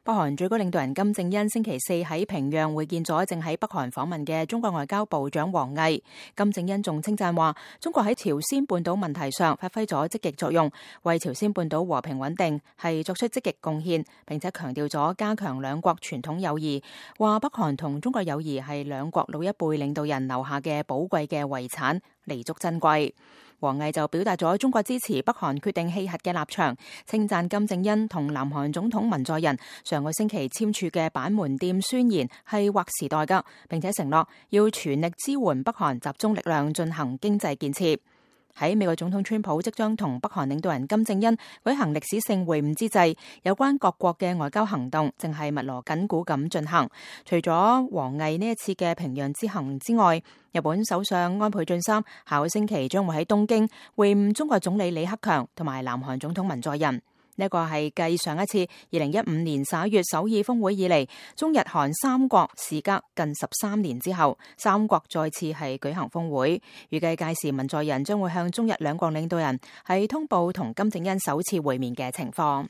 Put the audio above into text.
北韓最高領導人金正恩星期四喺平壤會見咗正喺北韓訪問嘅中國外交部長王毅。金正恩仲稱讚話，中國喺朝鮮半島問題上發揮咗積極作用，為朝鮮半島和平穩定係作出積極貢獻，並且強調咗加強兩國傳統友誼，話北韓同中國友誼係兩國老一輩領導人留下嘅寶貴嘅遺產，彌足珍貴。王毅就表達咗中國支持北韓決定棄核嘅立場，稱讚金正恩同南韓總統文在寅上個星期簽署嘅板門店宣言係劃時代㗎，並且承諾要全力支援北韓集中力量進行經濟建設。喺美國總統川普即將同北韓領導人金正恩舉行歷史性會晤之際，有關各國嘅外交行動正係密鑼緊鼓咁進行。除咗王毅呢一次嘅平壤之行之外，日本首相安倍晉三下個星期將會喺東京會晤中國總理李克強同埋南韓總統文在寅。呢個係繼上一次2015年11月首爾峰會以嚟，中日韓三國時隔近13年之後，三國再次係舉行峰會。預計屆時文在寅將會向中日兩國領導人係通報同金正恩首次會面嘅情況。